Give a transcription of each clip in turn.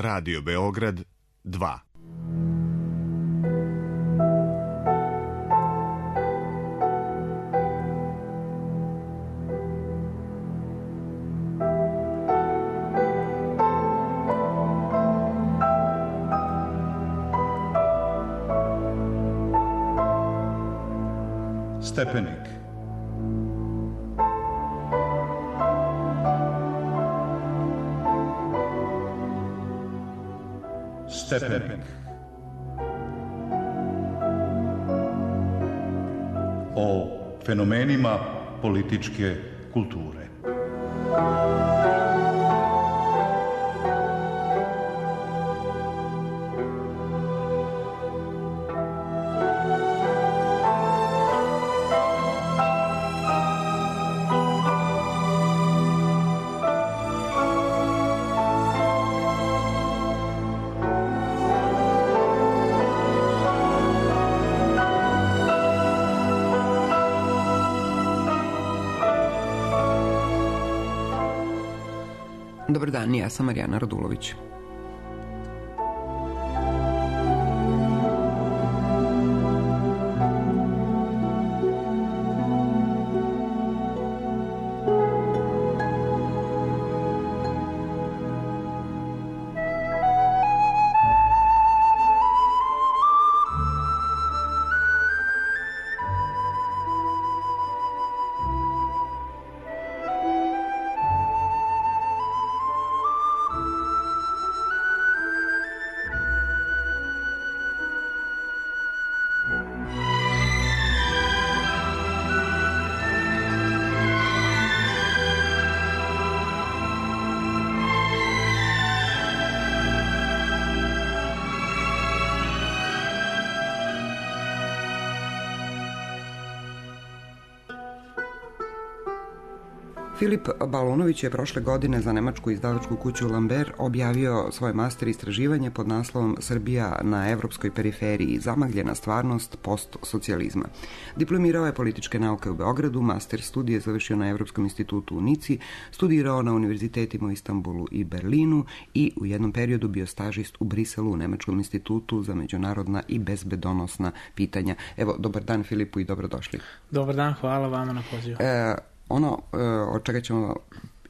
Radio Beograd 2. Stepenik. Stepenik. O fenomenima političke kulture. Dobar dan, ja sam Marijana Radulović. Filip Balonović je prošle godine za nemačku izdavačku kuću Lambert objavio svoje master istraživanje pod naslovom Srbija na evropskoj periferiji, zamagljena stvarnost postsocijalizma. Diplomirao je političke nauke u Beogradu, master studije završio na Evropskom institutu u Nici, studirao na univerzitetima u Istanbulu i Berlinu i u jednom periodu bio stažist u Briselu u Nemačkom institutu za međunarodna i bezbedonosna pitanja. Evo, dobar dan Filipu i dobrodošli. Dobar dan, hvala vama na pozivu. Ono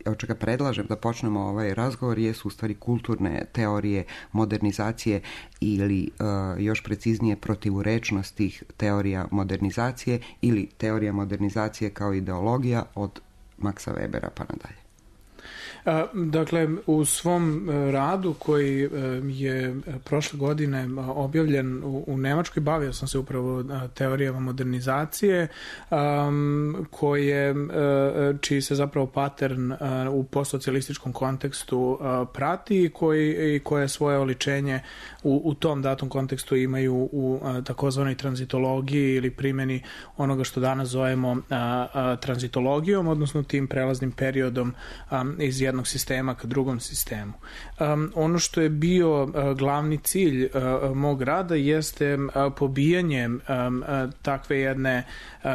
od čega predlažem da počnemo ovaj razgovor jesu u stvari kulturne teorije modernizacije ili još preciznije protivurečnost tih teorija modernizacije ili teorija modernizacije kao ideologija od Maxa Webera pa nadalje. Dakle, u svom radu koji je prošle godine objavljen u Nemačkoj, bavio sam se upravo teorijama modernizacije, čiji se zapravo pattern u postsocijalističkom kontekstu prati i koje svoje oličenje u tom datom kontekstu imaju u takozvanoj tranzitologiji ili primjeni onoga što danas zovemo tranzitologijom, odnosno tim prelaznim periodom iz jednog sistema ka drugom sistemu. Ono što je bio glavni cilj mog rada jeste pobijanje takve jedne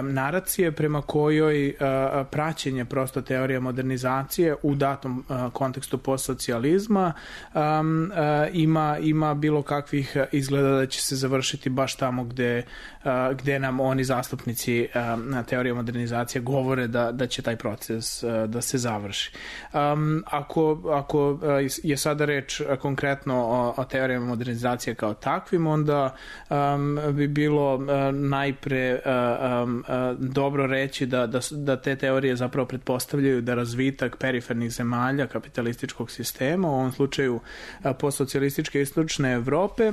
naracije prema kojoj praćenje prosto teorija modernizacije u datom kontekstu postsocijalizma ima bilo kakvih izgleda da će se završiti baš tamo gde nam oni zastupnici na teorije modernizacije govore da će taj proces da se završi. Ako je sada reč konkretno o teorijama modernizacije kao takvim, onda bi bilo najpre dobro reći da te teorije zapravo pretpostavljaju da razvitak perifernih zemalja kapitalističkog sistema, u ovom slučaju postsocijalističke istočne Evrope,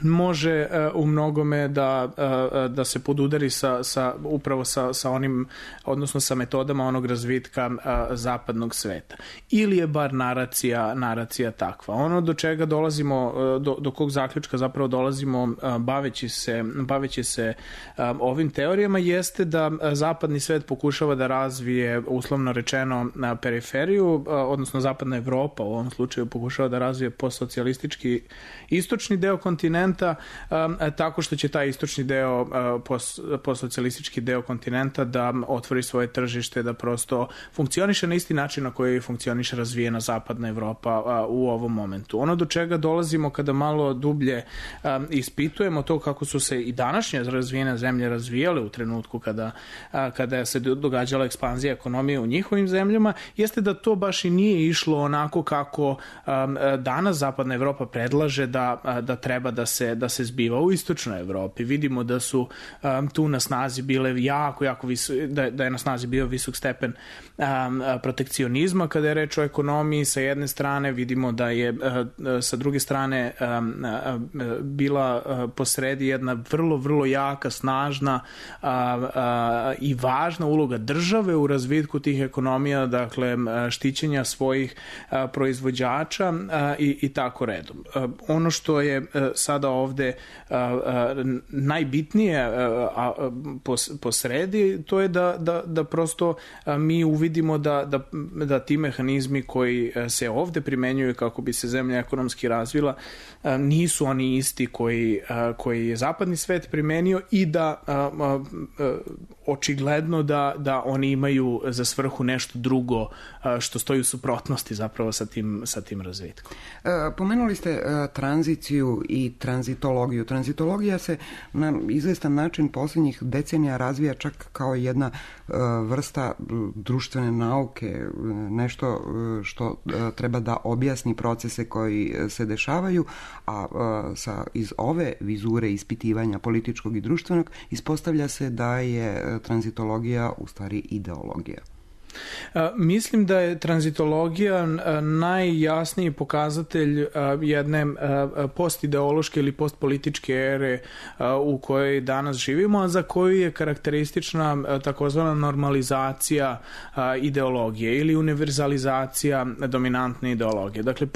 može u mnogome da se podudari upravo sa onim, odnosno sa metodama onog razvitka zapadnog sveta. Ili je bar naracija takva. Ono do čega dolazimo, do kog zaključka zapravo dolazimo baveći se ovim teorijama, jeste da zapadni svet pokušava da razvije, uslovno rečeno, periferiju, odnosno zapadna Evropa u ovom slučaju pokušava da razvije postsocijalistički istočni deo kontinenta, kontinenta, tako što će taj istočni deo, postsocijalistički deo kontinenta da otvori svoje tržište, da prosto funkcioniše na isti način na koji funkcioniše razvijena zapadna Evropa u ovom momentu. Ono do čega dolazimo kada malo dublje ispitujemo to kako su se i današnje razvijene zemlje razvijale u trenutku kada se događala ekspanzija ekonomije u njihovim zemljama, jeste da to baš i nije išlo onako kako danas zapadna Evropa predlaže da treba da se zbiva u istočnoj Evropi. Vidimo da su tu na snazi bile jako da je na snazi bio visok stepen protekcionizma kada je reč o ekonomiji sa jedne strane, vidimo da je sa druge strane bila posredi jedna vrlo, vrlo jaka, snažna i važna uloga države u razvitku tih ekonomija, dakle štićenja svojih proizvođača i tako redom. Ono što je sada ovde najbitnije posredi, to je da prosto mi uvidimo da ti mehanizmi koji se ovde primenjuju kako bi se zemlja ekonomski razvila nisu oni isti koji je zapadni svet primenio i da očigledno da oni imaju za svrhu nešto drugo što stoji u suprotnosti zapravo sa tim razvitkom. Pomenuli ste tranziciju i tranzitologiju. Tranzitologija se na izvestan način posljednjih decenija razvija čak kao jedna vrsta društvene nauke, nešto što treba da objasni procese koji se dešavaju, a iz ove vizure ispitivanja političkog i društvenog ispostavlja se da je tranzitologija u stvari ideologija. Mislim da je tranzitologija najjasniji pokazatelj jedne postideološke ili postpolitičke ere u kojoj danas živimo, a za koju je karakteristična takozvana normalizacija ideologije ili univerzalizacija dominantne ideologije. Dakle,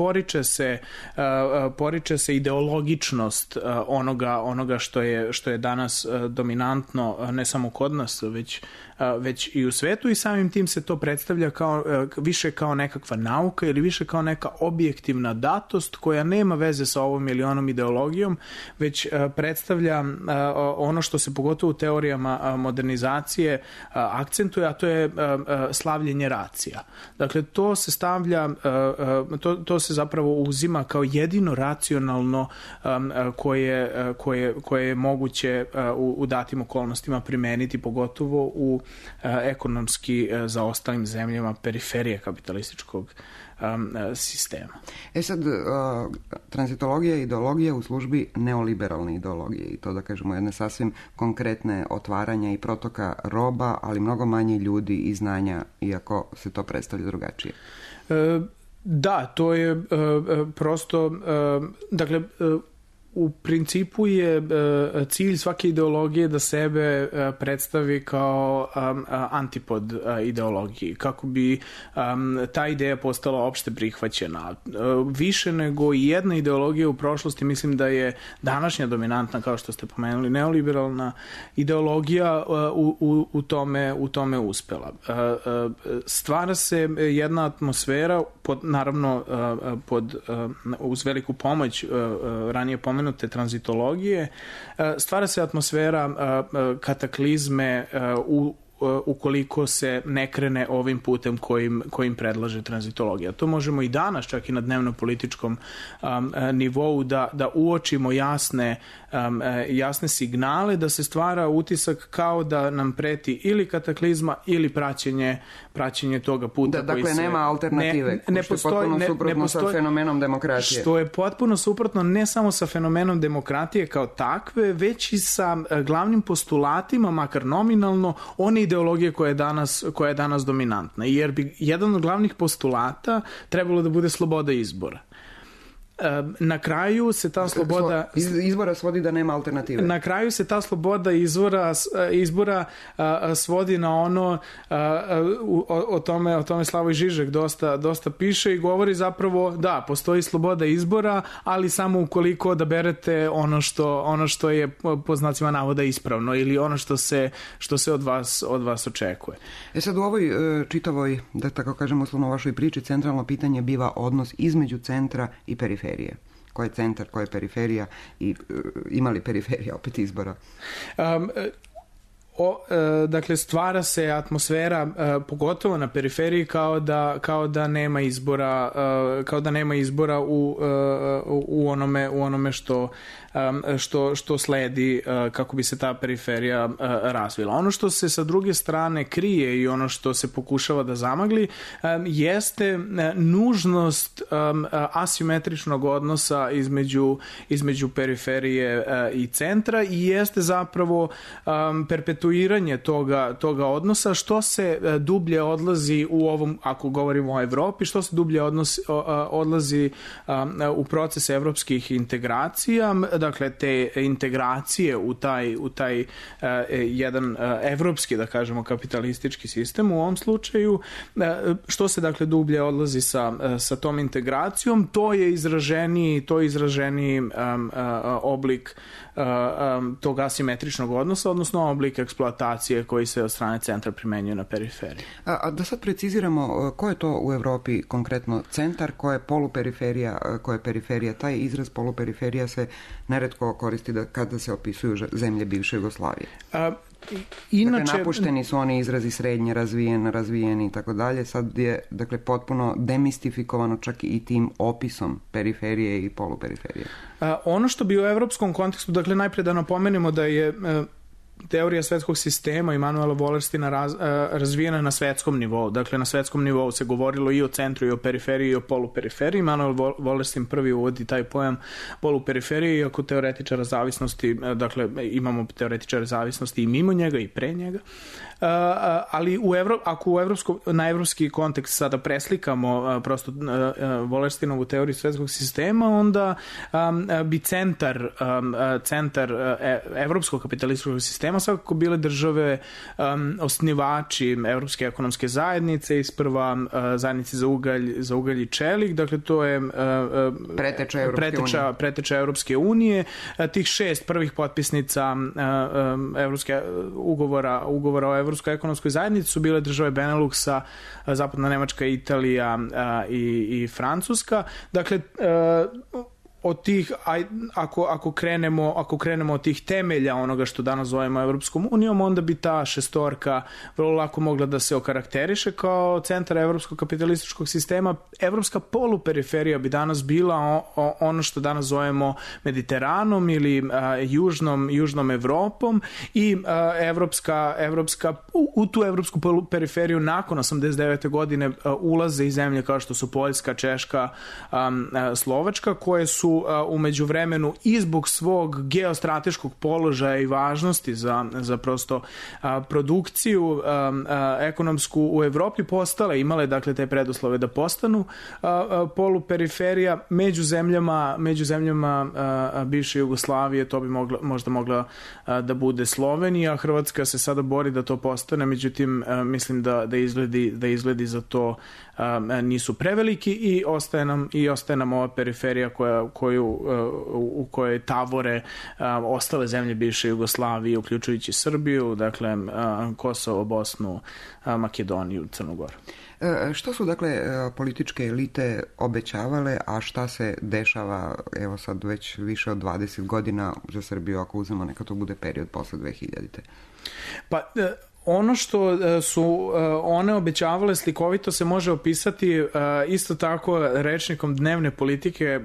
poriče se ideologičnost onoga što je danas dominantno ne samo kod nas, već i u svetu, i samim tim se to predstavlja više kao nekakva nauka ili više kao neka objektivna datost koja nema veze sa ovom ili onom ideologijom, već predstavlja ono što se pogotovo u teorijama modernizacije akcentuje, a to je slavljenje racija. Dakle, to se stavlja, to se zapravo uzima kao jedino racionalno koje je moguće u datim okolnostima primeniti, pogotovo u ekonomski zaostalim zemljama periferije kapitalističkog sistema. Sad, tranzitologija je ideologija u službi neoliberalne ideologije i to, da kažemo, jedne sasvim konkretne otvaranja i protoka roba, ali mnogo manje ljudi i znanja, iako se to predstavlja drugačije. Da, to je prosto, dakle, u principu je cilj svake ideologije da sebe predstavi kao antipod ideologiji, kako bi ta ideja postala opšte prihvaćena. Više nego i jedna ideologija u prošlosti, mislim da je današnja dominantna, kao što ste pomenuli, neoliberalna ideologija u tome uspela. Stvara se jedna atmosfera, naravno uz veliku pomoć ranije pomenute tranzitologije, stvara se atmosfera kataklizme ukoliko se ne krene ovim putem kojim predlaže tranzitologija. To možemo i danas, čak i na dnevno-političkom nivou, da uočimo jasne signale, da se stvara utisak kao da nam preti ili kataklizma ili praćenje toga puta. Dakle, nema alternative, što je potpuno suprotno sa fenomenom demokratije. Što je potpuno suprotno ne samo sa fenomenom demokratije kao takve, već i sa glavnim postulatima, makar nominalno, one ideologije koja je danas dominantna. Jer bi jedan od glavnih postulata trebalo da bude sloboda izbora. Na kraju se ta sloboda izbora svodi da nema alternative. Na kraju se ta sloboda izbora svodi na ono, o tome Slavoj Žižek dosta piše i govori zapravo da postoji sloboda izbora, ali samo ukoliko odaberete ono što je po znacima navoda ispravno ili ono što se od vas očekuje. Sad u ovoj čitavoj, da tako kažem uslovno vašoj priči, centralno pitanje biva odnos između centra i periferije. ko je centar, ko je periferija i ima li periferija opet izbora? Dakle, stvara se atmosfera, pogotovo na periferiji, kao da nema izbora u onome što sledi kako bi se ta periferija razvila. Ono što se sa druge strane krije i ono što se pokušava da zamagli jeste nužnost asimetričnog odnosa između periferije i centra i jeste zapravo perpetuiranje toga odnosa, što se dublje odlazi u ovom, ako govorimo o Evropi, što se dublje odlazi u proces evropskih integracija, dakle te integracije u taj jedan evropski, da kažemo, kapitalistički sistem u ovom slučaju, što se dakle dublje odlazi sa tom integracijom, to je izraženiji oblik tog asimetričnog odnosa, odnosno oblik eksploatacije koji se od strane centra primenjuje na periferiji. A da sad preciziramo, ko je to u Evropi konkretno centar, ko je poluperiferija, ko je periferija? Taj izraz poluperiferija se neretko koristi kada se opisuju zemlje bivše Jugoslavije. Inače, dakle, napušteni su oni izrazi srednje razvijeni i tako dalje. Sad je, dakle, potpuno demistifikovano čak i tim opisom periferije i poluperiferije. Ono što bi u evropskom kontekstu, dakle, najpre da napomenemo da je teorija svetskog sistema Immanuela Wallerstina razvijena na svetskom nivou. Dakle, na svetskom nivou se govorilo i o centru, i o periferiji, i o poluperiferiji. Immanuel Wallerstin prvi uvodi taj pojam poluperiferije, iako teoretičara zavisnosti, dakle, imamo teoretičare zavisnosti i mimo njega i pre njega. Ali ako na evropski kontekst sada preslikamo prosto Wallerstinovu teoriju svetskog sistema, onda bi centar evropskog kapitalističkog sistema svakako bile države osnivači Evropske ekonomske zajednice, isprva zajednice za ugalj i čelik, dakle to je preteča Evropske unije. Tih 6 prvih potpisnica ugovora o Evropskoj ekonomskoj zajednici su bile države Beneluxa, Zapadna Nemačka, Italija i Francuska. Dakle, od tih, ako krenemo od tih temelja onoga što danas zovemo Evropskom unijom, onda bi ta šestorka vrlo lako mogla da se okarakteriše kao centar evropskog kapitalističkog sistema. Evropska poluperiferija bi danas bila ono što danas zovemo Mediteranom ili južnom Evropom i u tu evropsku poluperiferiju nakon 89. godine ulaze i zemlje kao što su Poljska, Češka, Slovačka, koje su u međuvremenu i zbog svog geostrateškog položaja i važnosti za prosto produkciju ekonomsku u Evropi imale dakle te preduslove da postanu poluperiferija. Među zemljama bivše Jugoslavije to bi možda mogla da bude Slovenija. Hrvatska se sada bori da to postane, međutim mislim da izgledi za to nisu preveliki i ostaje nam ova periferija u kojoj tavore ostale zemlje bivše Jugoslavije, uključujući Srbiju, dakle Kosovo, Bosnu, Makedoniju, Crnu Goru. Što su, dakle, političke elite obećavale, a šta se dešava, evo sad već više od 20 godina za Srbiju, ako uzmemo neka to bude period posle 2000. Pa, ono što su one obećavale slikovito se može opisati isto tako rečnikom dnevne politike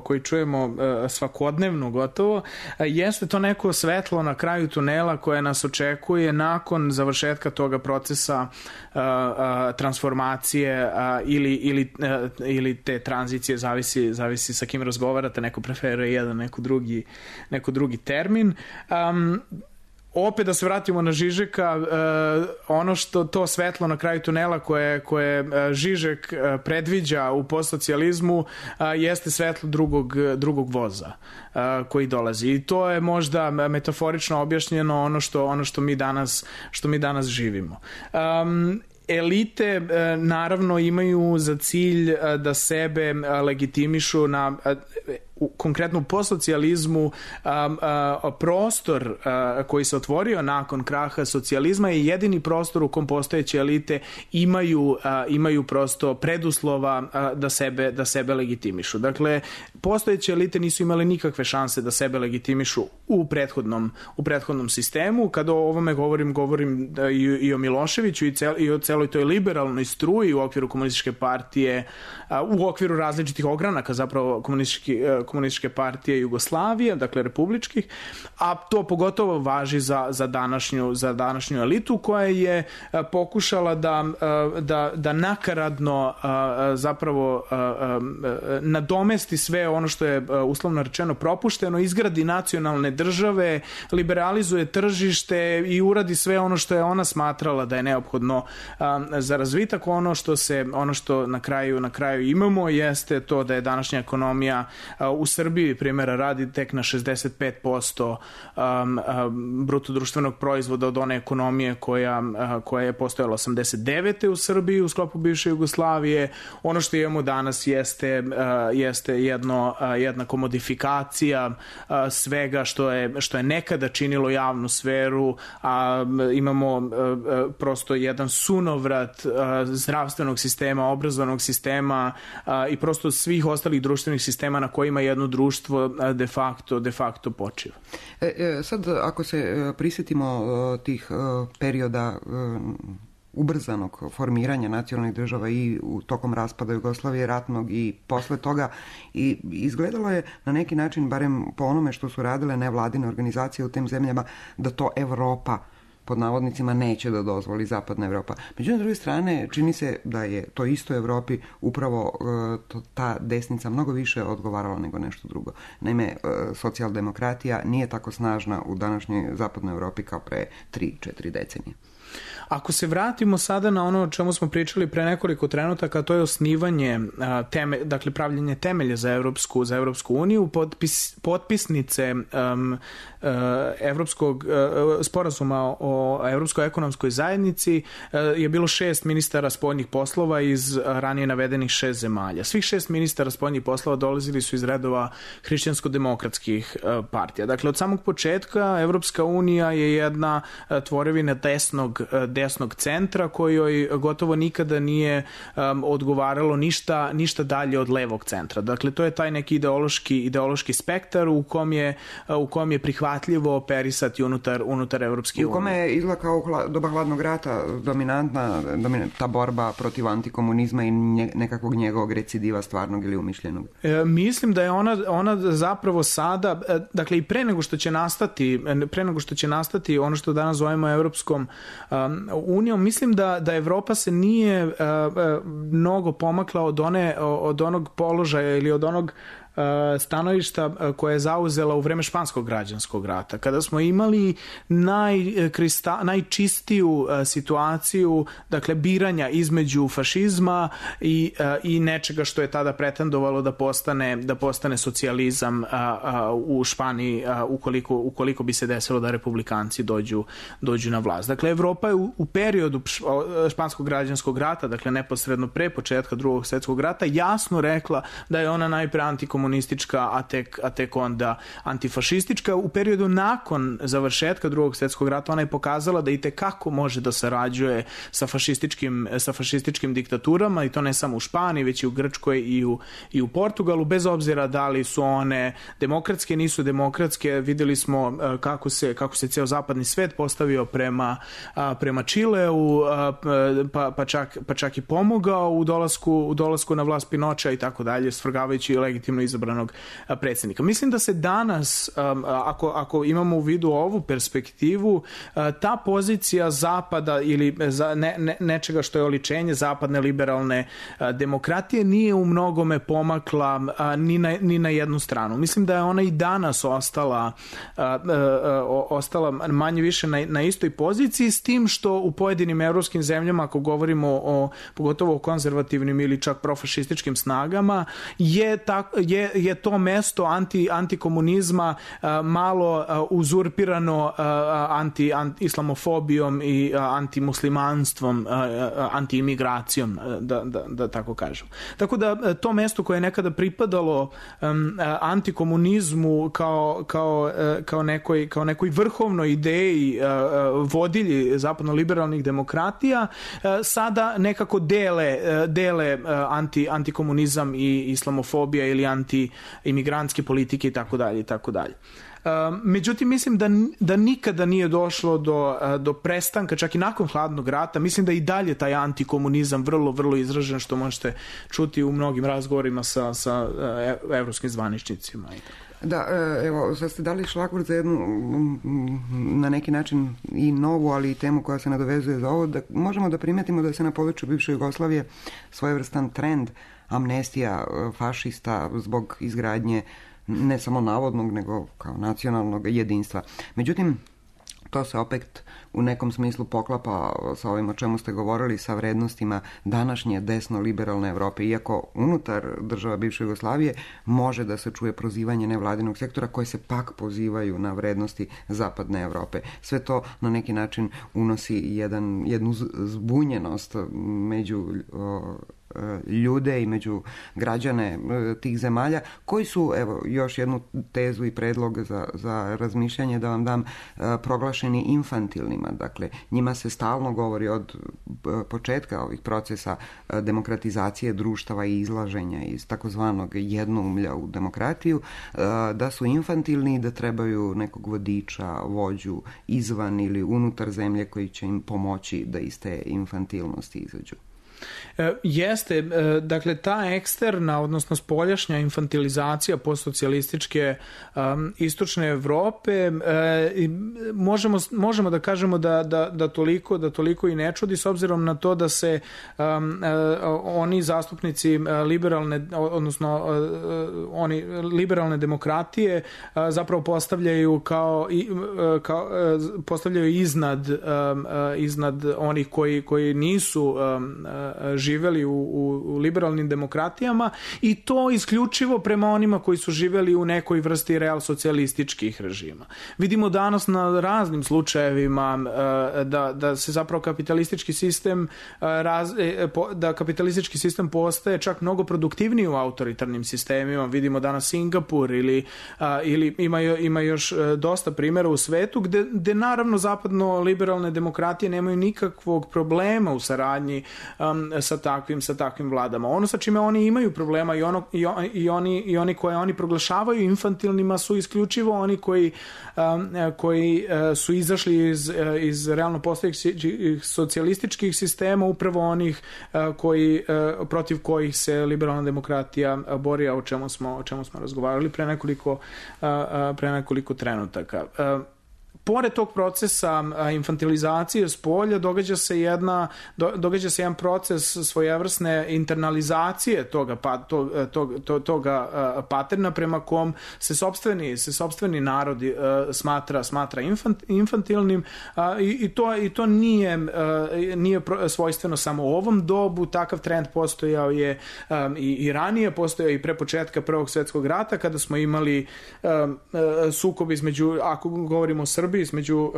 koji čujemo svakodnevno gotovo, jeste to neko svetlo na kraju tunela koje nas očekuje nakon završetka toga procesa transformacije ili te tranzicije, zavisi sa kim razgovarate, neko preferuje jedan, neko drugi termin. Opet da se vratimo na Žižeka, ono što to svetlo na kraju tunela koje Žižek predviđa u postsocijalizmu jeste svetlo drugog voza koji dolazi. I to je možda metaforično objašnjeno ono što mi danas živimo. Elite naravno imaju za cilj da sebe legitimišu konkretno po socijalizmu prostor koji se otvorio nakon kraha socijalizma je jedini prostor u kom postojeće elite imaju prosto preduslova da sebe legitimišu. Dakle, postojeće elite nisu imale nikakve šanse da sebe legitimišu u prethodnom sistemu. Kada o ovome govorim i o Miloševiću i o celoj toj liberalnoj struji u okviru komunističke partije, u okviru različitih ogranaka zapravo komunističke partije Jugoslavije, dakle republičkih, a to pogotovo važi za današnju elitu koja je pokušala da nakaradno zapravo nadomesti sve ono što je uslovno rečeno propušteno, izgradi nacionalne države, liberalizuje tržište i uradi sve ono što je ona smatrala da je neophodno za razvitak. Ono što na kraju imamo jeste to da je današnja ekonomija u Srbiji, primjera radi, tek na 65% bruto društvenog proizvoda od one ekonomije koja je postojala 89. u Srbiji u sklopu bivše Jugoslavije. Ono što imamo danas jeste jedna komodifikacija svega što je nekada činilo javnu sferu, a imamo prosto jedan sunovrat zdravstvenog sistema, obrazovnog sistema i prosto svih ostalih društvenih sistema na kojima jedno društvo de facto počiva. Sad, ako se prisjetimo tih perioda ubrzanog formiranja nacionalnih država i tokom raspada Jugoslavije ratnog i posle toga, i izgledalo je na neki način, barem po onome što su radile nevladine organizacije u tim zemljama, da to Evropa pod navodnicima neće da dozvoli, zapadna Evropa. Međutim, s druge strane, čini se da je to isto Evropi upravo ta desnica mnogo više odgovarala nego nešto drugo. Naime, socijaldemokratija nije tako snažna u današnjoj zapadnoj Evropi kao pre 3-4 decenije. Ako se vratimo sada na ono o čemu smo pričali pre nekoliko trenutaka, to je osnivanje, dakle pravljenje temelja za Evropsku uniju, potpisnice Evropskog sporazuma o Evropskoj ekonomskoj zajednici je bilo 6 ministara spoljnih poslova iz ranije navedenih 6 zemalja. Svih 6 ministara spoljnih poslova dolazili su iz redova hrišćansko-demokratskih partija. Dakle, od samog početka Evropska unija je jedna tvorevina desnog centra kojoj gotovo nikada nije odgovaralo ništa dalje od levog centra. Dakle, to je taj neki ideološki spektar u kom je prihvatljivo operisati unutar Evropske unije. U kome je izgleda kao doba hladnog rata dominantna ta borba protiv antikomunizma i nekakvog njegovog recidiva stvarnog ili umišljenog? Mislim da je ona zapravo sada, dakle i pre nego što će nastati ono što danas zovemo Evropskom unijom, mislim da Evropa se nije mnogo pomakla od onog položaja ili od onog stanovišta koje je zauzela u vreme španskog građanskog rata, kada smo imali najčistiju situaciju, dakle biranja između fašizma i nečega što je tada pretendovalo da postane socijalizam u Španiji ukoliko bi se desilo da republikanci dođu na vlast. Dakle, Evropa je u periodu španskog građanskog rata, dakle neposredno pre početka Drugog svjetskog rata, jasno rekla da je ona najpre antikomunistička, a tek onda antifašistička. U periodu nakon završetka Drugog svjetskog rata ona je pokazala da itekako može da sarađuje sa fašističkim diktaturama, i to ne samo u Španiji, već i u Grčkoj i u Portugalu, bez obzira da li su one demokratske, nisu demokratske. Videli smo kako se ceo zapadni svet postavio prema Čileu, pa čak i pomogao u dolasku na vlast Pinocha i tako dalje, svrgavajući legitimno izabranog predsjednika. Mislim da se danas, ako imamo u vidu ovu perspektivu, ta pozicija zapada ili nečega što je oličenje zapadne liberalne demokratije nije u mnogome pomakla ni na jednu stranu. Mislim da je ona i danas ostala manje više na istoj poziciji, s tim što u pojedinim evropskim zemljama, ako govorimo pogotovo o konzervativnim ili čak profašističkim snagama, je je to mesto antikomunizma malo uzurpirano anti-islamofobijom i antimuslimanstvom, anti-imigracijom, da tako kažem. Tako da to mesto koje je nekada pripadalo antikomunizmu kao nekoj vrhovnoj ideji vodilji zapadno-liberalnih demokratija, sada nekako dele antikomunizam i islamofobija ili anti-imigrantske politike i tako dalje. Međutim, mislim da nikada nije došlo do prestanka, čak i nakon hladnog rata. Mislim da i dalje taj antikomunizam vrlo, vrlo izražen, što možete čuti u mnogim razgovorima sa evropskim zvaničnicima. Da, evo, sad ste dali šlagvort za jednu, na neki način i novu, ali i temu koja se nadovezuje za ovo, da možemo da primetimo da se na području bivše Jugoslavije svojevrstan trend amnestija fašista zbog izgradnje ne samo navodnog, nego kao nacionalnog jedinstva. Međutim, to se opet u nekom smislu poklapa sa ovim o čemu ste govorili, sa vrednostima današnje desno-liberalne Evrope, iako unutar država bivše Jugoslavije može da se čuje prozivanje nevladinog sektora koje se pak pozivaju na vrednosti zapadne Evrope. Sve to na neki način unosi jednu zbunjenost među ljude i među građane tih zemalja koji su, evo, još jednu tezu i predlog za razmišljanje da vam dam, proglašeni infantilnima. Dakle, njima se stalno govori od početka ovih procesa demokratizacije društava i izlaženja iz takozvanog jednoumlja u demokratiju, da su infantilni i da trebaju nekog vodiča, vođu izvan ili unutar zemlje koji će im pomoći da iz te infantilnosti izađu. Jeste, dakle ta eksterna, odnosno spoljašnja infantilizacija postsocijalističke istočne Evrope, možemo da kažemo da toliko i ne čudi, s obzirom na to da se oni zastupnici liberalne, odnosno oni liberalne demokratije zapravo postavljaju postavljaju iznad onih koji nisu živeli u liberalnim demokratijama, i to isključivo prema onima koji su živeli u nekoj vrsti real socijalističkih režima. Vidimo danas na raznim slučajevima da se zapravo kapitalistički sistem postaje čak mnogo produktivniji u autoritarnim sistemima. Vidimo danas Singapur ili ima još dosta primjera u svetu gde naravno zapadno liberalne demokratije nemaju nikakvog problema u saradnji sa takvim vladama. Ono sa čime oni imaju problema i oni koje oni proglašavaju infantilnima su isključivo oni koji su izašli iz realno postojećih socijalističkih sistema, upravo onih protiv kojih se liberalna demokratija bori, o čemu smo razgovarali pre nekoliko trenutaka. Pored tog procesa infantilizacije spolja događa se jedan proces svojevrsne internalizacije toga paterna prema kom se sopstveni narod smatra infantilnim, i to nije svojstveno samo u ovom dobu. Takav trend postojao je i ranije, postojao i pre početka Prvog svjetskog rata, kada smo imali sukob između, ako govorimo o Srbiji, između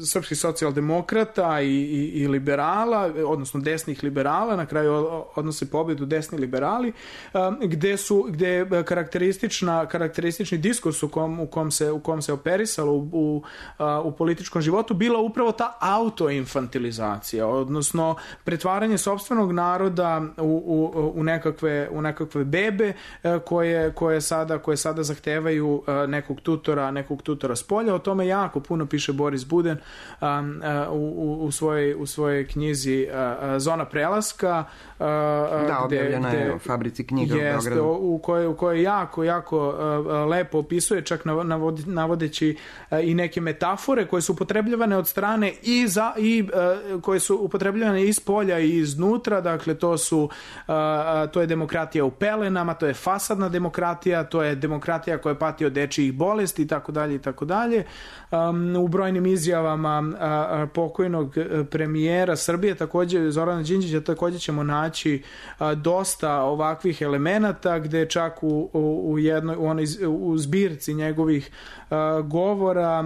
srpskih socijaldemokrata i liberala, odnosno desnih liberala, na kraju odnose pobedu desni liberali, gde je karakteristični diskurs u kom se operisalo u političkom životu bila upravo ta autoinfantilizacija, odnosno pretvaranje sopstvenog naroda u nekakve bebe koje sada zahtevaju nekog tutora s polja. O tome jako puno piše Boris Buden u svojoj knjizi Zona prelaska. Objavljena je u Fabrici knjiga u Beogradu. U kojoj jako lepo opisuje, čak navodeći i neke metafore koje su upotrebljavane od strane i koje su upotrebljavane iz polja i iznutra. Dakle, to je demokratija u pelenama, to je fasadna demokratija, to je demokratija koja pati od dečijih bolesti i tako dalje. U brojnim izjavama pokojnog premijera Srbije, takođe Zorana Đinđića, takođe ćemo naći dosta ovakvih elemenata, gde čak u zbirci njegovih govora,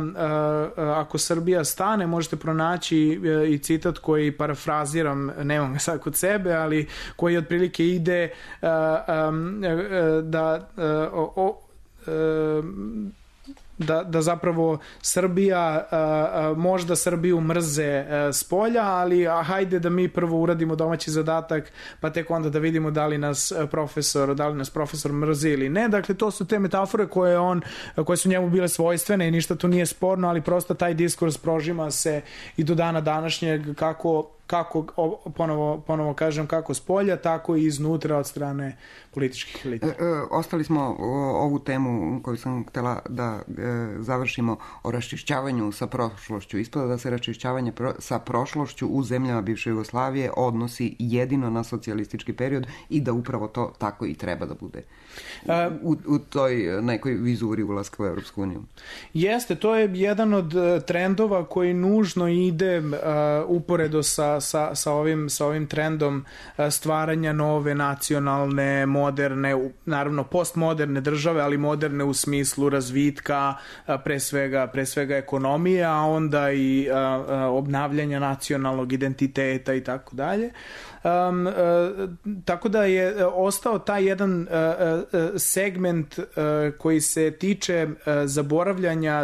ako Srbija stane, možete pronaći i citat koji parafraziram, nemam ga sad kod sebe, ali koji otprilike ide da zapravo Srbija, možda Srbiju mrze s polja, ali hajde da mi prvo uradimo domaći zadatak, pa tek onda da vidimo da li nas profesor mrzi ili ne. Dakle, to su te metafore koje su njemu bile svojstvene i ništa tu nije sporno, ali prosto taj diskurs prožima se i do dana današnjeg, kako ponovo kažem, kako s polja, tako i iznutra od strane političkih elita. Ostali smo ovu temu koju sam htjela da završimo o raščišćavanju sa prošlošću. Ispada da se raščišćavanje sa prošlošću u zemljama bivše Jugoslavije odnosi jedino na socijalistički period i da upravo to tako i treba da bude u toj nekoj vizuri ulaska u Evropsku uniju. Jeste, to je jedan od trendova koji nužno ide uporedo sa ovim trendom stvaranja nove nacionalne, moderne, naravno postmoderne države, ali moderne u smislu razvitka, pre svega ekonomije, a onda i obnavljanja nacionalnog identiteta i tako dalje. Tako da je ostao taj jedan segment koji se tiče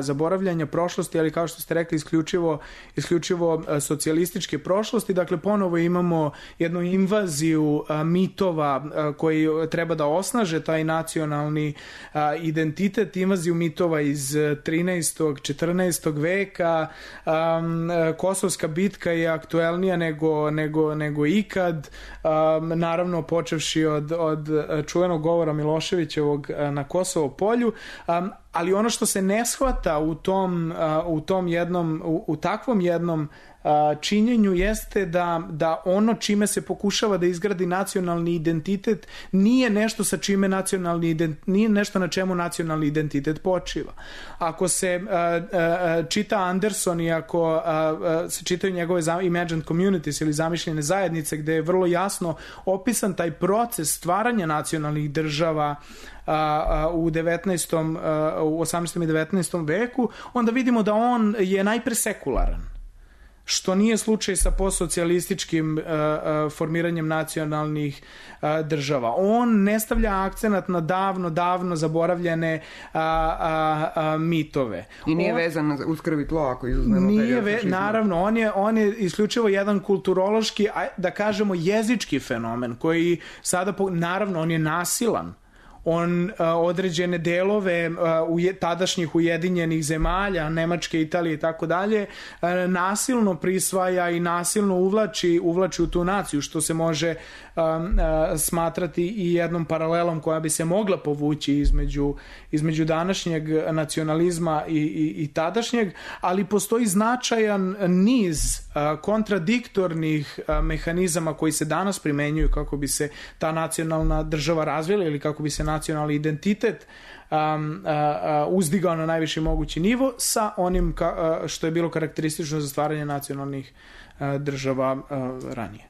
zaboravljanja prošlosti, ali kao što ste rekli, isključivo socijalističke prošlosti. Dakle, ponovo imamo jednu invaziju mitova koji treba da osnaže taj nacionalni identitet, invaziju mitova iz 13. 14. veka. Kosovska bitka je aktuelnija nego ikad. Naravno, počevši od čuvenog govora Miloševićevog na Kosovo polju, ali ono što se ne shvata u takvom jednom činjenju jeste da ono čime se pokušava da izgradi nacionalni identitet nije nešto nije nešto na čemu nacionalni identitet počiva. Ako se čita Anderson i ako se čitaju njegove imagined communities ili zamišljene zajednice, gde je vrlo jasno opisan taj proces stvaranja nacionalnih država u 18. i 19. veku, onda vidimo da on je najpre sekularan, što nije slučaj sa postsocijalističkim formiranjem nacionalnih država. On ne stavlja akcenat na davno zaboravljene mitove. I nije vezan uz krv i tlo, ako izuzmemo period fašizma. Naravno, on je isključivo jedan kulturološki, da kažemo jezički fenomen, koji sada, naravno, on je nasilan. On određene delove tadašnjih ujedinjenih zemalja, Nemačke, Italije i tako dalje, nasilno prisvaja i nasilno uvlači u tu naciju, što se može smatrati i jednom paralelom koja bi se mogla povući između današnjeg nacionalizma i tadašnjeg, ali postoji značajan niz kontradiktornih mehanizama koji se danas primenjuju kako bi se ta nacionalna država razvila ili kako bi se nacionalni identitet uzdigao na najviši mogući nivo sa onim što je bilo karakteristično za stvaranje nacionalnih država ranije.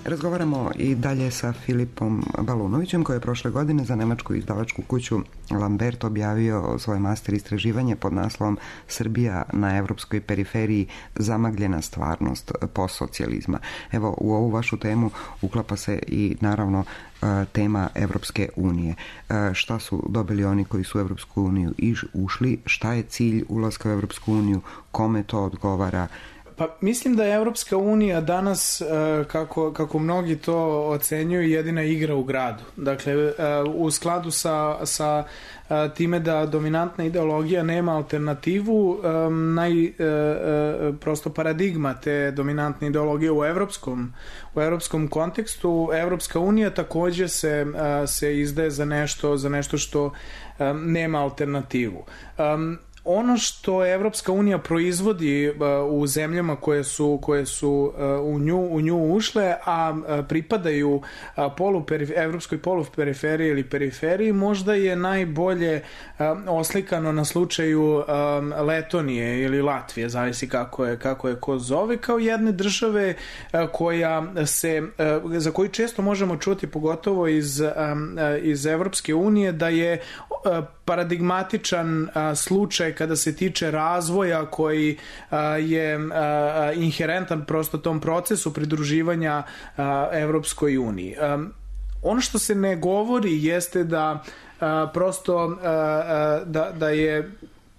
Razgovaramo i dalje sa Filipom Balunovićem, koji je prošle godine za nemačku izdavačku kuću Lambert objavio svoj master istraživanje pod naslovom Srbija na evropskoj periferiji, zamagljena stvarnost postsocijalizma. Evo, u ovu vašu temu uklapa se i naravno tema Evropske unije. Šta su dobili oni koji su u Evropsku uniju ušli, šta je cilj ulaska u Evropsku uniju, kome to odgovara? Pa mislim da je Evropska unija danas, kako mnogi to ocenjuju, jedina igra u gradu. Dakle, u skladu sa time da dominantna ideologija nema alternativu, prosto paradigma te dominantne ideologije u evropskom kontekstu, Evropska unija takođe se izdaje za nešto što nema alternativu. Ono što Evropska unija proizvodi u zemljama koje su u nju ušle, a pripadaju evropskoj poluperiferiji ili periferiji, možda je najbolje oslikano na slučaju Letonije ili Latvije, zavisi kako je ko zove, kao jedne države za koju često možemo čuti, pogotovo iz Evropske unije, da je paradigmatičan slučaj kada se tiče razvoja koji je inherentan prosto tom procesu pridruživanja Evropskoj uniji. Ono što se ne govori jeste da prosto da je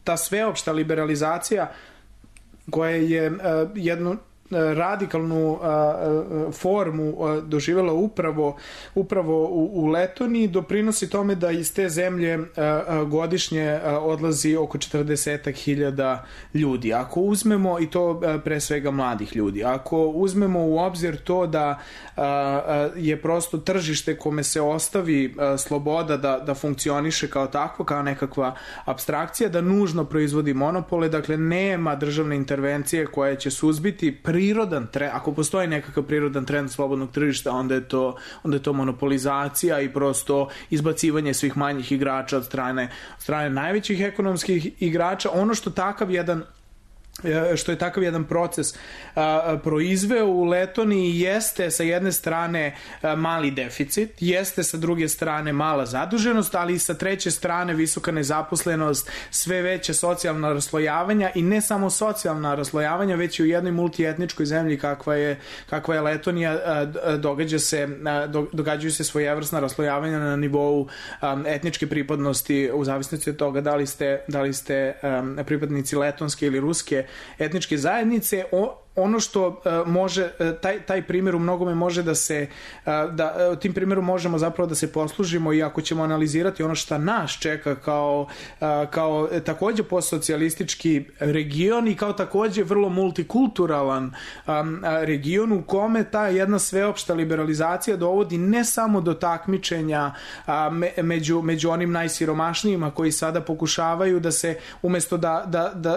ta sveopšta liberalizacija koja je jednu radikalnu formu doživjela upravo u Letoniji, doprinosi tome da iz te zemlje godišnje odlazi oko 40.000 ljudi. Ako uzmemo, i to pre svega mladih ljudi, ako uzmemo u obzir to da je prosto tržište kome se ostavi sloboda da funkcioniše kao takvo, kao nekakva apstrakcija, da nužno proizvodi monopole, dakle nema državne intervencije koja će suzbiti prirodan trend, ako postoji nekakav prirodan trend slobodnog tržišta, onda je to monopolizacija i prosto izbacivanje svih manjih igrača od strane najvećih ekonomskih igrača. Ono što je takav jedan proces proizveo u Letoniji jeste sa jedne strane mali deficit, jeste sa druge strane mala zaduženost, ali i sa treće strane visoka nezaposlenost, sve veće socijalna raslojavanja, i ne samo socijalna raslojavanja, već i u jednoj multietničkoj zemlji kakva je Letonija događaju se svojevrsna raslojavanja na nivou etničke pripadnosti, u zavisnosti od toga da li ste pripadnici letonske ili ruske etničke zajednice. Ono što može, taj primjer u mnogome može tim primjerom možemo zapravo da se poslužimo, i ako ćemo analizirati ono što nas čeka kao takođe postsocijalistički region i kao takođe vrlo multikulturalan region u kome ta jedna sveopšta liberalizacija dovodi ne samo do takmičenja među onim najsiromašnijima koji sada pokušavaju da se, umesto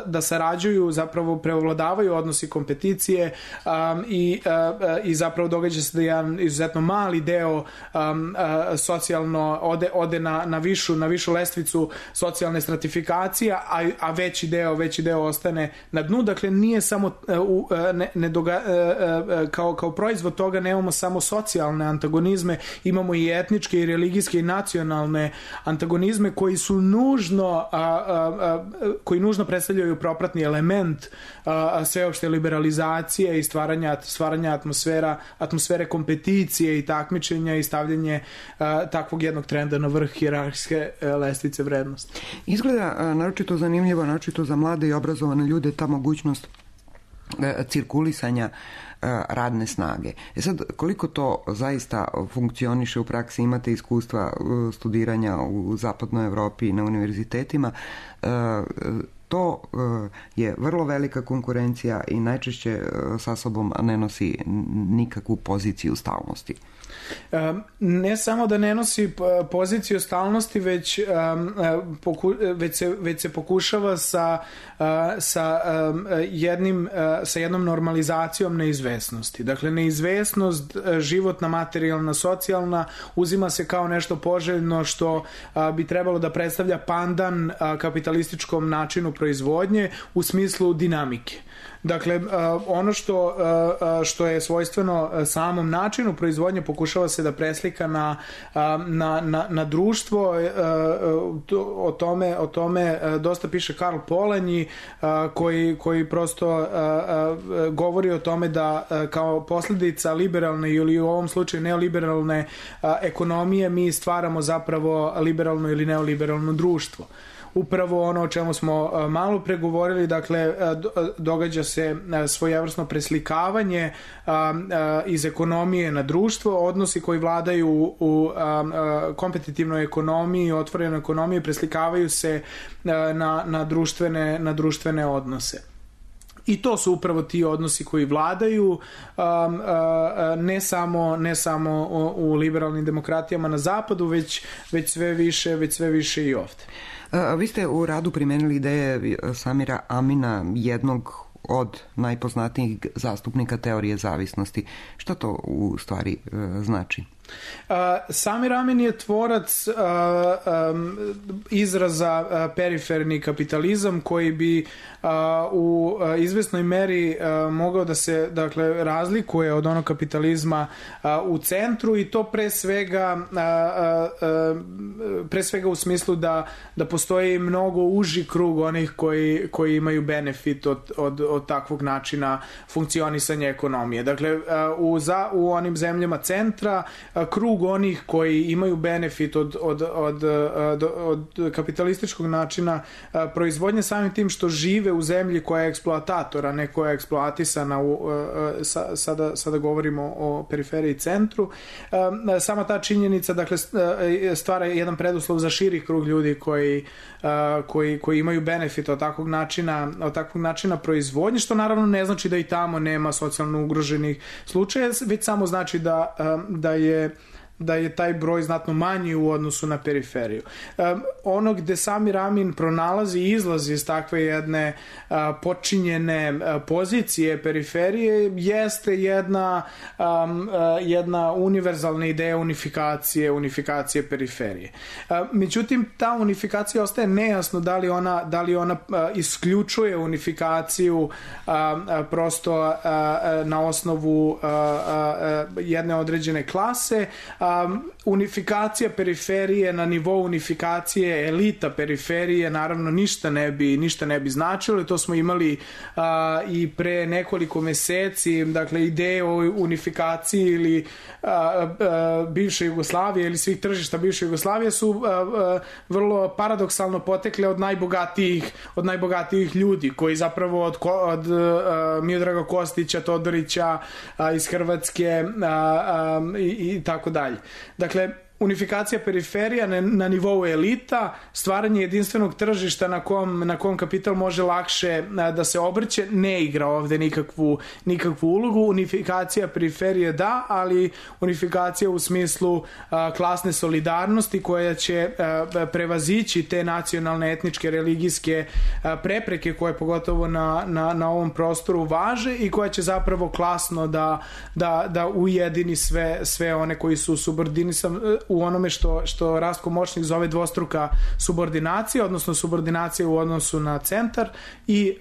da sarađuju, zapravo prevladavaju odnosi kompeticije, i zapravo događa se da jedan izuzetno mali deo socijalno ode na višu lestvicu socijalne stratifikacije, a veći deo ostane na dnu. Dakle, nije samo kao proizvod toga nemamo samo socijalne antagonizme, imamo i etničke i religijske i nacionalne antagonizme koji nužno predstavljaju propratni element sveopšte liberalizacije i stvaranja atmosfere kompeticije i takmičenja i stavljanje takvog jednog trenda na vrh hijerarhijske lestvice vrednosti. Izgleda naročito zanimljivo, naročito za mlade i obrazovane ljude, ta mogućnost cirkulisanja radne snage. Sad, koliko to zaista funkcioniše u praksi? Imate iskustva studiranja u zapadnoj Evropi na univerzitetima. To je vrlo velika konkurencija i najčešće sa sobom ne nosi nikakvu poziciju stalnosti. Ne samo da ne nosi poziciju stalnosti, već se pokušava sa jednom normalizacijom neizvesnosti. Dakle, neizvesnost, životna, materijalna, socijalna, uzima se kao nešto poželjno što bi trebalo da predstavlja pandan kapitalističkom načinu proizvodnje u smislu dinamike. Dakle, ono što je svojstveno samom načinu proizvodnje pokušava se da preslika na društvo. O tome dosta piše Karl Polanyi, koji prosto govori o tome da kao posljedica liberalne ili u ovom slučaju neoliberalne ekonomije mi stvaramo zapravo liberalno ili neoliberalno društvo. Upravo ono o čemu smo malo pregovorili, dakle, događa se svojevrsno preslikavanje iz ekonomije na društvo, odnosi koji vladaju u kompetitivnoj ekonomiji, otvorenoj ekonomiji, preslikavaju se na društvene odnose. I to su upravo ti odnosi koji vladaju ne samo u liberalnim demokratijama na zapadu, već sve više i ovde. Vi ste u radu primenili ideje Samira Amina, jednog od najpoznatijih zastupnika teorije zavisnosti. Šta to u stvari znači? Samir Amin je tvorac izraza periferni kapitalizam koji bi u izvesnoj meri mogao da se, dakle, razlikuje od onog kapitalizma u centru, i to pre svega u smislu da postoji mnogo uži krug onih koji imaju benefit od takvog načina funkcionisanja ekonomije. Dakle, u onim zemljama centra krug onih koji imaju benefit od kapitalističkog načina proizvodnje, samim tim što žive u zemlji koja je eksploatator, a ne koja je eksploatisana, sada govorimo o periferiji centru. Sama ta činjenica, dakle, stvara jedan preduslov za širi krug ljudi koji imaju benefit od takvog načina proizvodnje, što naravno ne znači da i tamo nema socijalno ugroženih slučaja, već samo znači da je taj broj znatno manji u odnosu na periferiju. Ono gde Samir Amin pronalazi i izlazi iz takve jedne počinjene pozicije periferije jeste jedna univerzalna ideja unifikacije periferije. Međutim, ta unifikacija ostaje nejasno da li ona isključuje unifikaciju prosto na osnovu jedne određene klase. Unifikacija periferije na nivou unifikacije elita periferije naravno ništa ne bi značilo. To smo imali i pre nekoliko meseci. Dakle, ideje o unifikaciji ili bivše Jugoslavije ili svih tržišta bivše Jugoslavije su vrlo paradoksalno potekle od najbogatijih ljudi, koji zapravo od Miodraga Kostića, Todorića iz Hrvatske i tako dalje. Dakle, unifikacija periferija na nivou elita, stvaranje jedinstvenog tržišta na kom kapital može lakše da se obrće, ne igra ovde nikakvu ulogu. Unifikacija periferije da, ali unifikacija u smislu klasne solidarnosti koja će prevazići te nacionalne, etničke, religijske prepreke koje pogotovo na ovom prostoru važe i koja će zapravo klasno da ujedini sve one koji su subordinisani u onome što Rastko Močnik zove dvostruka subordinacija, odnosno subordinacija u odnosu na centar i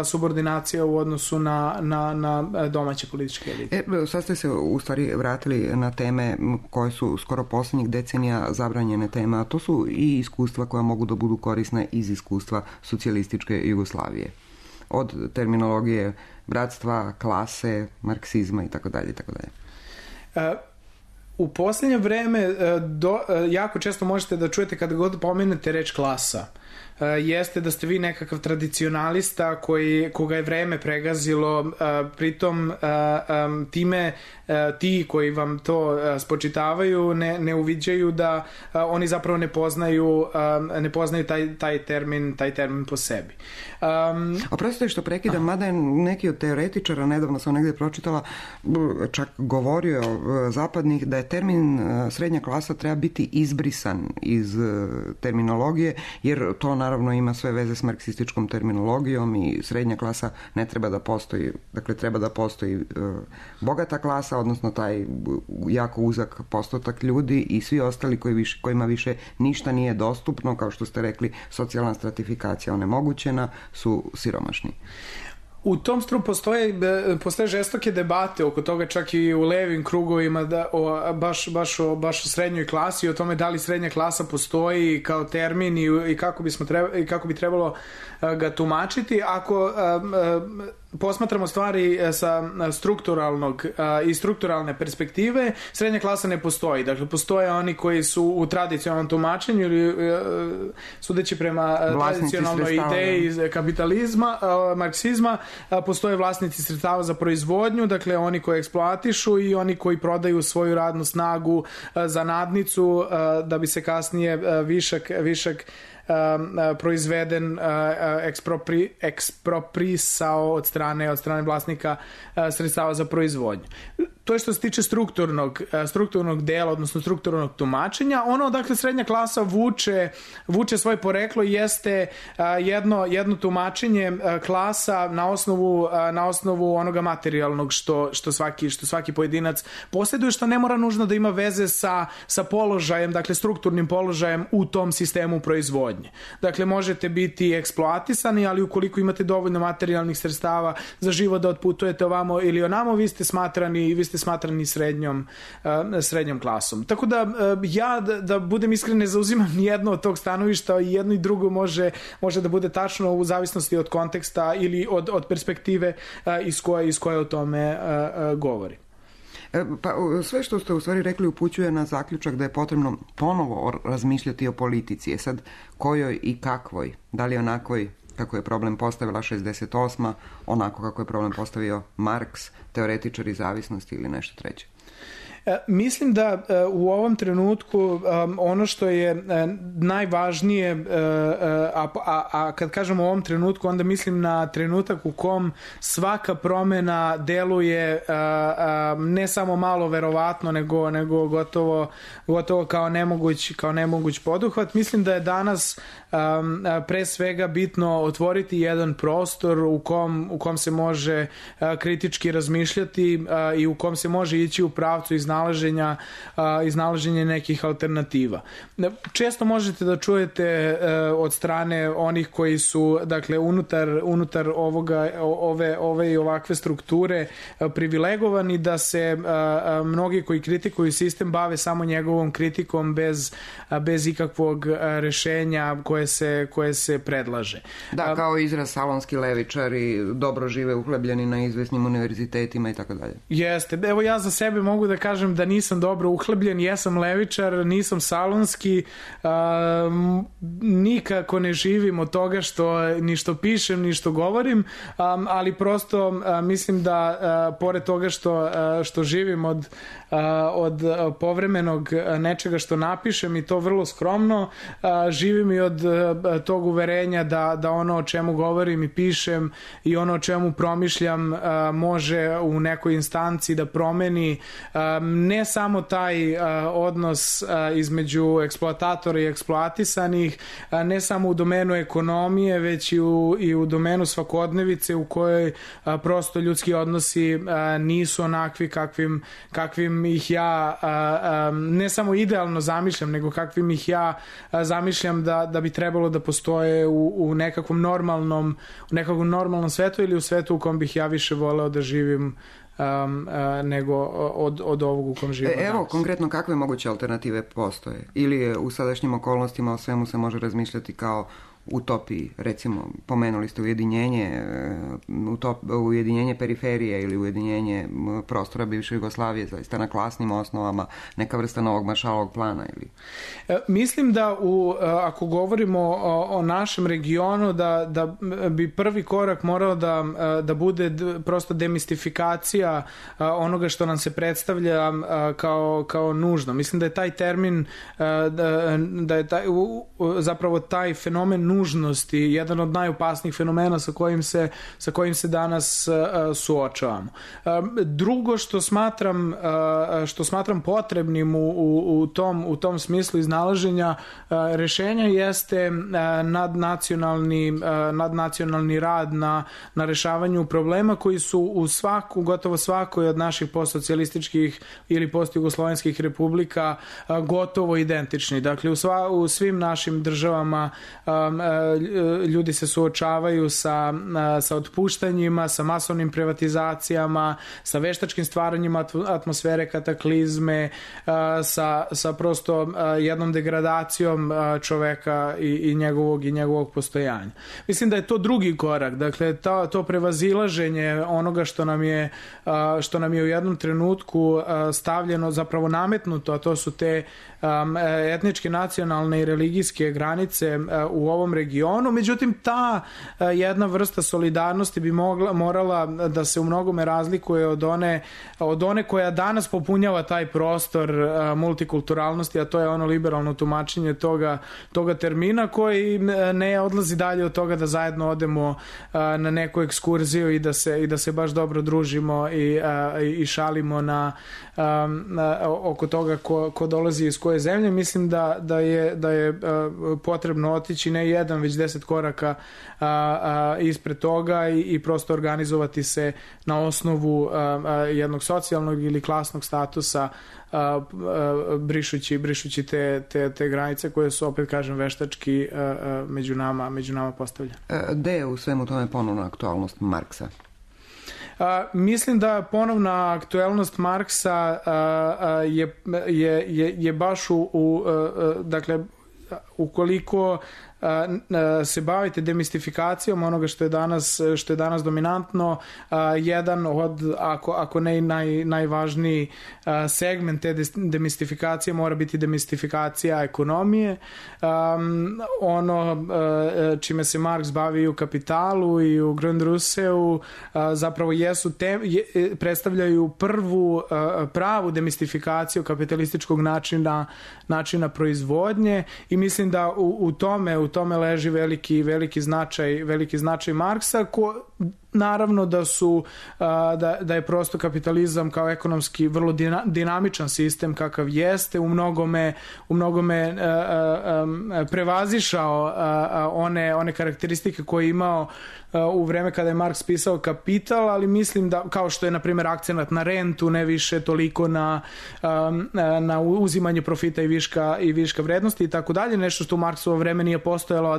subordinacija u odnosu na domaće političke elite. Sad ste se u stvari vratili na teme koje su skoro posljednjih decenija zabranjene teme, a to su i iskustva koja mogu da budu korisne iz iskustva socijalističke Jugoslavije. Od terminologije bratstva, klase, marksizma itd. U posljednje vreme jako često možete da čujete kada god pomenete reč klasa. Jeste da ste vi nekakav tradicionalista koga je vreme pregazilo, pritom time ti koji vam to spočitavaju ne uviđaju da oni zapravo ne poznaju taj termin po sebi. Oprostite što prekidam, mada je neki od teoretičara, nedavno sam negdje pročitala, čak govorio zapadnih da je termin srednja klasa treba biti izbrisan iz terminologije, jer to naravno ima sve veze s marksističkom terminologijom i srednja klasa ne treba da postoji, dakle treba da postoji bogata klasa, odnosno taj jako uzak postotak ljudi i svi ostali kojima više ništa nije dostupno, kao što ste rekli, socijalna stratifikacija onemogućena, su siromašni. U tom postoje žestoke debate oko toga, čak i u levim krugovima, baš o srednjoj klasi, o tome da li srednja klasa postoji kao termin i kako bi trebalo ga tumačiti. Ako posmatramo stvari sa strukturalnog i strukturalne perspektive, srednja klasa ne postoji. Dakle, postoje oni koji su u tradicionalnom tumačenju ili sudeći prema tradicionalnoj ideji kapitalizma, marksizma, postoje vlasnici sredstava za proizvodnju, dakle oni koji eksploatišu i oni koji prodaju svoju radnu snagu za nadnicu da bi se kasnije višak proizveden eksproprisao od strane vlasnika sredstava za proizvodnju. To je što se tiče strukturnog dela, odnosno strukturnog tumačenja. Ono odakle srednja klasa vuče svoje poreklo jeste jedno tumačenje klasa na osnovu onoga materijalnog što svaki pojedinac posjeduje, što ne mora nužno da ima veze sa položajem, dakle strukturnim položajem u tom sistemu proizvodnje. Dakle, možete biti eksploatisani, ali ukoliko imate dovoljno materijalnih sredstava za život da otputujete ovamo ili onamo, vi ste smatrani srednjom klasom. Tako da ja, da budem iskren, ne zauzimam nijedno od tog stanovišta, i jedno i drugo može da bude tačno u zavisnosti od konteksta ili od perspektive iz koje o tome govori. Pa sve što ste u stvari rekli upućuje na zaključak da je potrebno ponovo razmišljati o politici. Sad, kojoj i kakvoj? Da li onakvoj kako je problem postavila 68. onako kako je problem postavio Marks, teoretičari zavisnosti ili nešto treće? Mislim da u ovom trenutku ono što je najvažnije, a kad kažem u ovom trenutku, onda mislim na trenutak u kom svaka promjena deluje ne samo malo verovatno, nego gotovo kao nemoguć poduhvat. Mislim da je danas pre svega bitno otvoriti jedan prostor u kom se može kritički razmišljati i u kom se može ići u pravcu iznalaženja nekih alternativa. Često možete da čujete od strane onih koji su, dakle, unutar ove i ovakve strukture privilegovani, da se mnogi koji kritikuju sistem bave samo njegovom kritikom bez ikakvog rešenja koje se predlaže. Da, kao izraz salonski levičari dobro žive uhlebljeni na izvesnim univerzitetima i tako dalje. Jeste. Evo, ja za sebe mogu da kažem da nisam dobro uhlebljen, jesam levičar, nisam salonski, nikako ne živim od toga ni što pišem, ni što govorim, ali prosto mislim da pored toga što živim od povremenog nečega što napišem, i to vrlo skromno, živim i od tog uverenja da ono o čemu govorim i pišem i ono o čemu promišljam može u nekoj instanci da promeni ne samo taj odnos između eksploatatora i eksploatisanih, ne samo u domenu ekonomije, već i u domenu svakodnevice u kojoj prosto ljudski odnosi nisu onakvi kakvim ih ja ne samo idealno zamišljam, nego kakvim ih ja zamišljam da bi trebalo da postoje u nekakvom normalnom svetu, ili u svetu u kom bih ja više voleo da živim nego od ovog u kom živimo danas. Evo, konkretno, kakve moguće alternative postoje? Ili u sadašnjim okolnostima o svemu se može razmišljati kao utopiji? Recimo, pomenuli ste ujedinjenje periferije ili ujedinjenje prostora bivše Jugoslavije, zaista na klasnim osnovama, neka vrsta novog Maršalovog plana ili... Mislim da ako govorimo o našem regionu, da bi prvi korak morao da bude prosto demistifikacija onoga što nam se predstavlja kao nužno. Mislim da je taj termin, da je zapravo taj fenomen nužnost i jedan od najopasnijih fenomena sa kojim se danas suočavamo. Drugo što smatram potrebnim u tom smislu iznalaženja rešenja jeste nadnacionalni rad na rešavanju problema koji su u gotovo svakoj od naših postsocijalističkih ili postjugoslovenskih republika gotovo identični. Dakle, u svim našim državama ljudi se suočavaju sa otpuštanjima, sa masovnim privatizacijama, sa veštačkim stvaranjima atmosfere kataklizme, sa prosto jednom degradacijom čoveka i njegovog postojanja. Mislim da je to drugi korak, dakle to prevazilaženje onoga što nam je u jednom trenutku stavljeno, zapravo nametnuto, a to su te etničke, nacionalne i religijske granice u ovom regionu. Međutim, ta jedna vrsta solidarnosti bi morala da se u mnogome razlikuje od one koja danas popunjava taj prostor multikulturalnosti, a to je ono liberalno tumačenje toga termina, koji ne odlazi dalje od toga da zajedno odemo na neku ekskurziju i da se baš dobro družimo i šalimo oko toga ko dolazi iz koje zemlje. Mislim da je potrebno otići ne jedan, već 10 koraka ispred toga i prosto organizovati se na osnovu jednog socijalnog ili klasnog statusa, brišući te granice koje su, opet kažem, veštački među nama postavljene. Gde je u svemu tome ponovna aktualnost Marksa? Mislim da ponovna aktuelnost Marksa je baš dakle, ukoliko se bavite demistifikacijom onoga što je danas dominantno, jedan od, ako ne najvažniji segment te demistifikacije mora biti demistifikacija ekonomije. Ono čime se Marks bavi u Kapitalu i u Grundrisseu zapravo predstavljaju pravu demistifikaciju kapitalističkog načina proizvodnje, i mislim da u tome leži veliki značaj Marksa, naravno da je prosto kapitalizam kao ekonomski vrlo dinamičan sistem kakav jeste u mnogome prevazišao one karakteristike koje je imao u vreme kada je Marks pisao Kapital, ali mislim da, kao što je na primjer akcenat na rentu, ne više toliko na uzimanje profita i viška vrednosti i tako dalje, nešto što u Marksovo vreme nije postojalo, a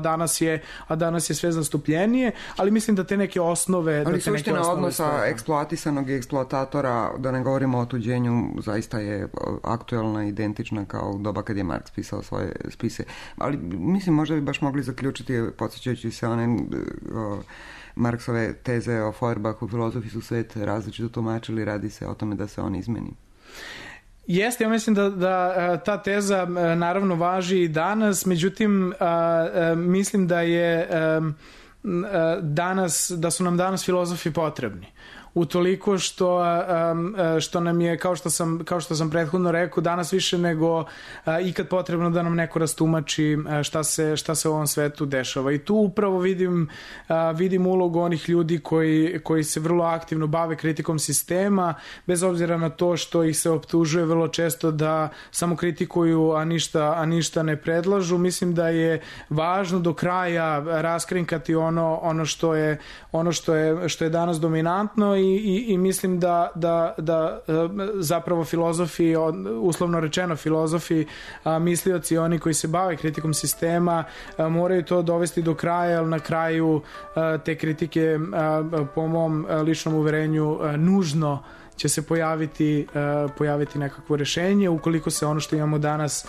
danas je sve zastupljenije, ali mislim da te neke osnove... Ali suština odnosa eksploatisanog i eksploatatora, da ne govorimo o otuđenju, zaista je aktuelna, identična kao u doba kad je Marks pisao svoje spise. Ali mislim, možda bi baš mogli zaključiti, podsjećajući se one Marksove teze o Feuerbachu, filozofi su svet različito tumačili, radi se o tome da se on izmeni. Jeste, ja mislim da ta teza naravno važi i danas, međutim mislim da su nam danas filozofi potrebni. Utoliko što nam je, kao što sam prethodno rekao, danas više nego ikad potrebno da nam neko rastumači šta se u ovom svetu dešava. I tu upravo vidim ulogu onih ljudi koji se vrlo aktivno bave kritikom sistema, bez obzira na to što ih se optužuje vrlo često da samo kritikuju, a ništa ne predlažu. Mislim da je važno do kraja raskrinkati ono što je danas dominantno i mislim da zapravo filozofi, uslovno rečeno filozofi, mislioci, oni koji se bave kritikom sistema, moraju to dovesti do kraja, jer na kraju te kritike, po mom ličnom uverenju, nužno će se pojaviti nekakvo rešenje, ukoliko se ono što imamo danas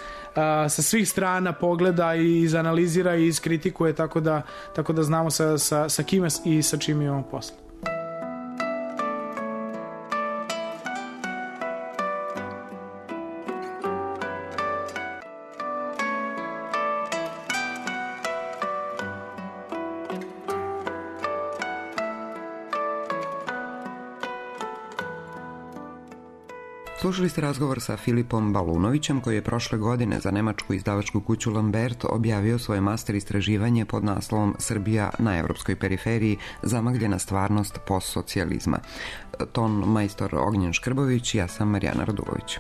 sa svih strana pogleda i izanalizira i iskritikuje, tako da znamo sa kime i sa čim imamo posla. Slušali ste razgovor sa Filipom Balunovićem, koji je prošle godine za nemačku izdavačku kuću Lambert objavio svoje master istraživanje pod naslovom Srbija na evropskoj periferiji, zamagljena stvarnost postsocijalizma. Ton majstor Ognjen Škrbović, ja sam Marijana Radulović.